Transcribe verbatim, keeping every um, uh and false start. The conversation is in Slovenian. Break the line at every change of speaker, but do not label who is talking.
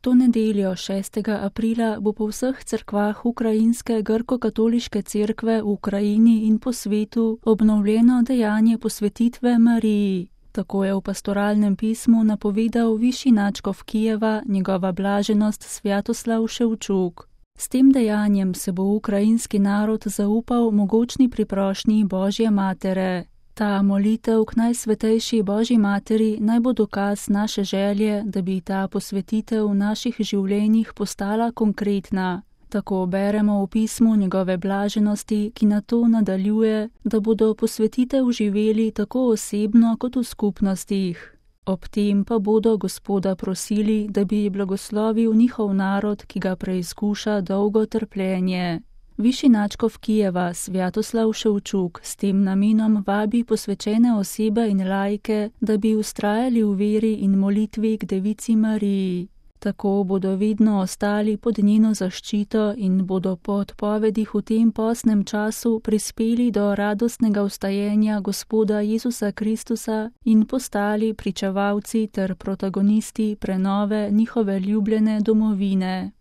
To nedeljo šestega aprila bo po vseh cerkvah ukrajinske grko-katoliške cerkve v Ukrajini in po svetu obnovljeno dejanje posvetitve Mariji. Tako je v pastoralnem pismu napovedal višji nadškof Kijeva, njegova blaženost Svjatoslav Ševčuk. S tem dejanjem se bo ukrajinski narod zaupal mogočni priprošnji Božje matere. Ta molitev k najsvetejši Božji materi naj bo dokaz naše želje, da bi ta posvetitev v naših življenjih postala konkretna. Tako beremo v pismu njegove blaženosti, ki na to nadaljuje, da bodo posvetitev živeli tako osebno kot v skupnostih. Ob tem pa bodo Gospoda prosili, da bi blagoslovil njihov narod, ki ga preizkuša dolgo trpljenje. Višji nadškof Kijeva Svjatoslav Ševčuk s tem namenom vabi posvečene osebe in laike, da bi vztrajali v veri in molitvi k Devici Mariji. Tako bodo vedno ostali pod njeno zaščito in bodo po odpovedih v tem postnem času prispeli do radostnega vstajenja Gospoda Jezusa Kristusa in postali pričevalci ter protagonisti prenove njihove ljubljene domovine.